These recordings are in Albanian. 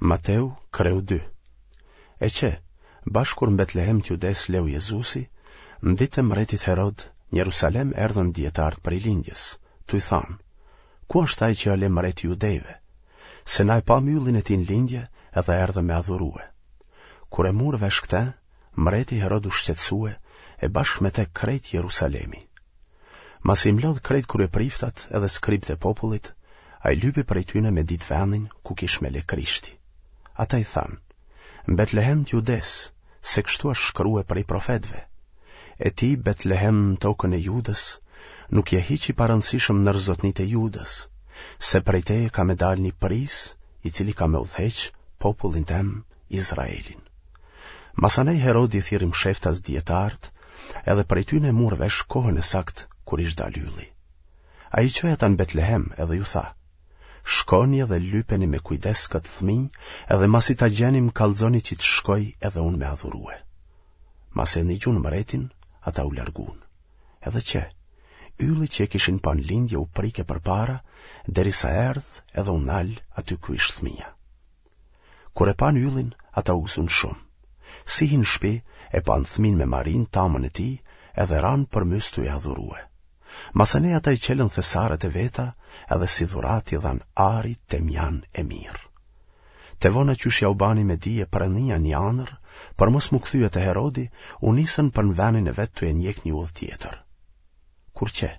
Mateu, kreu 2. E qe, bash kur në Betlehem të Judesë leu Jezusi, në ditë të mbretit Herod, në Jerusalem erdhën dijetarët prej lindjes, tuj thanë, Ku është ai që â le mbret i judejve? Se na e pamë yllin e tij në lindje edhe erdhëm me adhurue. Kur e mur vesh këtë, mbreti Herod u shqetësue e bashkë me te krejt Jerusalemi. Masi i mblodh krejt kryepriftat edhe skribët e popullit, ai lypi prej tyne me ditë vendin ku kish me le Krishti. Ata i thanë, Në Betlehem të Judesë, se kështu është shkrue prej profetëve. E ti, Betlehem në tokën e Judës, nuk je hiç i parëndësishëm nër zotnitë e Judës, se prej teje ka me dalë një prijës, i cili ka me udhëheq popullin tem, Izraelin. Masanej Herodi i thirri msheftas dijetarët, edhe prej tyne mur vesh kohën e saktë kur ish dalë ylli. Ai i çoi ata në Betlehem edhe ju tha, Shkoni edhe lypeni me kujdes këtë fëmijë, edhe masi ta gjeni më kallxoni që të shkoj edhe unë me adhurue. Masi e nigjun mbretin, ata u largun. Edhe qe, ylli që e kishin pa në lindje u prike përpara, derisa erdh edhe u nal aty ku ish fëmija. Kur e panë yllin, ata u gëzun shumë. Si hinë në shpi, e panë fëmin me Marinë, tamën e tij, edhe ranë përmys tuj e adhurue. Masanej ata i çelën thesaret e veta edhe si dhuratë i dhanë ari, temjan e mirë. Te vona qysh jau bani me dije perëndia një andërr, për mos m'u kthye te Herodi, u nisën për në venin e vet tuj e njek një udhë tjetër. Kur qe,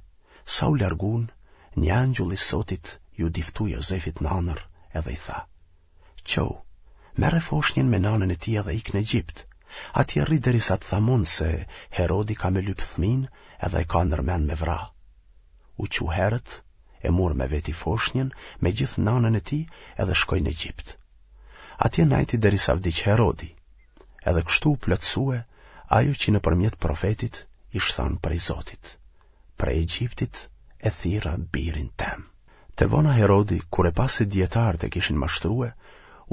sa u largun, një angjull i Zotit iu diftu Jozefit në andërr edhe i tha, Çohu, merre foshnjën me nanën e tij edhe ik në Egjipt. Atje rri derisa të tham unë se Herodi ka me lyp fëmin edhe e ka ndër mend me vra. U çu herët, e mur me veti foshnjën me gjithë nanën e tij edhe shkoi në Egjipt. Atje najti derisa vdiq Herodi. Edhe kështu u plotësue ajo që nëpërmjet profetit ish thanë prej Zotit. Prej Egjiptit e thirra birin tem. Te vona Herodi, kur e pa se dijetarët e kishin mashtrue,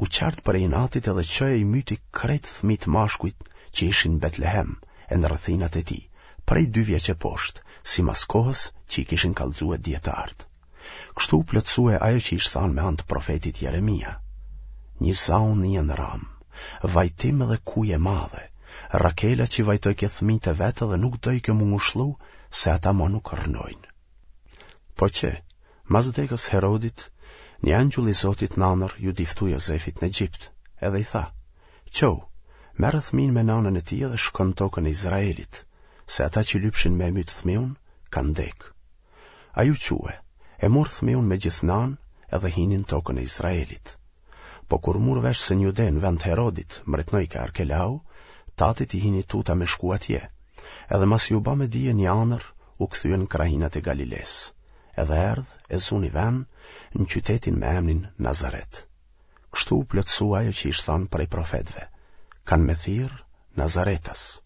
u çart prej inatit edhe çoi e i myti krejt fëmijët mashkujt që ishin në Betlehem e në rrethinat e tij, prej dy vjeç e poshtë, simas kohës që i kishin kallxue dijetarët. Kështu u plotësue ajo që ish thanë me anë të profetit Jeremia. Një za u nie në Ramë, vajtim edhe kujë e madhe, Rakela që vajtojke fëmijët e vet edhe nuk dojke m'u ngushllu, se ata mo nuk rrnojnë. Po qe, mas dekës Herodit, një angjull i Zotit në andërr iu diftu Jozefit në Egjipt, edhe i tha, Çohu, merre fëmin me nanën e tij edhe shko në tokën e Izraelit, se ata që lypshin me e mytë fëmiun, kanë dekë. Ai u çue, e mur fëmiun me gjithë nanë edhe hini në tokën e Izraelit. Po kur mur vesh se në Jude në vend të Herodit mbretnojke Arkelau, tatit i hini tuta me shku atje. Edhe masi iu ba me dije një andërr, u kthye në krahinat e Galilesë. Edhe erdh e zuni ven në qytetin me emnin Nazaret. Kështu u plotësua ajo që ish thanë prej profetëve, kanë me thirrë Nazaretas.